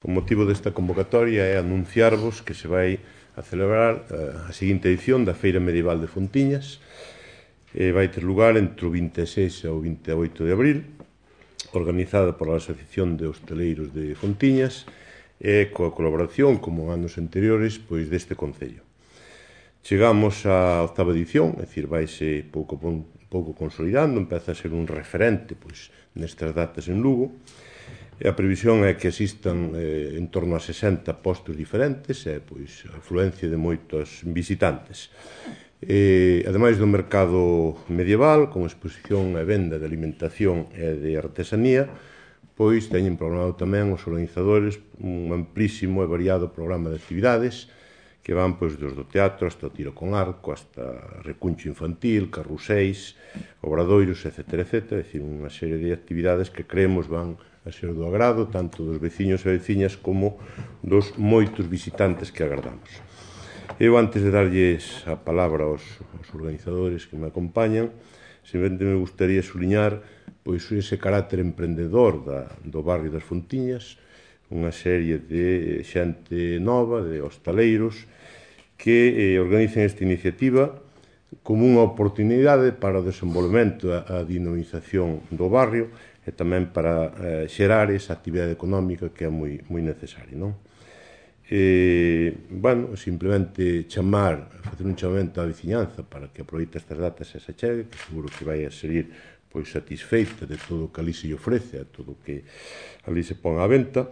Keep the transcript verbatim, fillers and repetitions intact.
O motivo desta convocatoria é anunciarvos que se vai a celebrar a seguinte edición da Feira Medieval de Fontiñas. Vai ter lugar entre o vinte e seis e o vinte e oito de abril, organizada pola Asociación de Hostaleiros de Fontiñas e coa colaboración, como anos anteriores, pois deste Concello. Chegamos á octava edición, é dicir, vaise pouco pouco consolidando, empeza a ser un referente pois nestas datas en Lugo. E a previsión é que asistan eh, en torno a sesenta postos diferentes e pois a afluencia de moitos visitantes. E, ademais do mercado medieval, con exposición e venda de alimentación e de artesanía, pois teñen programado tamén os organizadores un amplísimo e variado programa de actividades que van pois desde o teatro hasta o tiro con arco, hasta recuncho infantil, carruseis, obradoiros, etcétera, etcétera. É dicir, unha serie de actividades que creemos van a ser do agrado tanto dos veciños e veciñas como dos moitos visitantes que agardamos. Eu, antes de darlles a palabra aos, aos organizadores que me acompañan, simplemente me gustaría suliñar pois ese carácter emprendedor da, do barrio das Fontiñas, unha serie de xente nova, de hostaleiros, que eh, organizan esta iniciativa como unha oportunidade para o desenvolvemento e a dinamización do barrio e tamén para eh, xerar esa actividade económica que é moi, moi necesaria, non? E, bueno, simplemente chamar, facer un chamamento á veciñanza para que aproveite estas datas e se chegue, que seguro que vai a seguir pois satisfeita de todo o que ali se lle ofrece, a todo o que ali se pon á venta.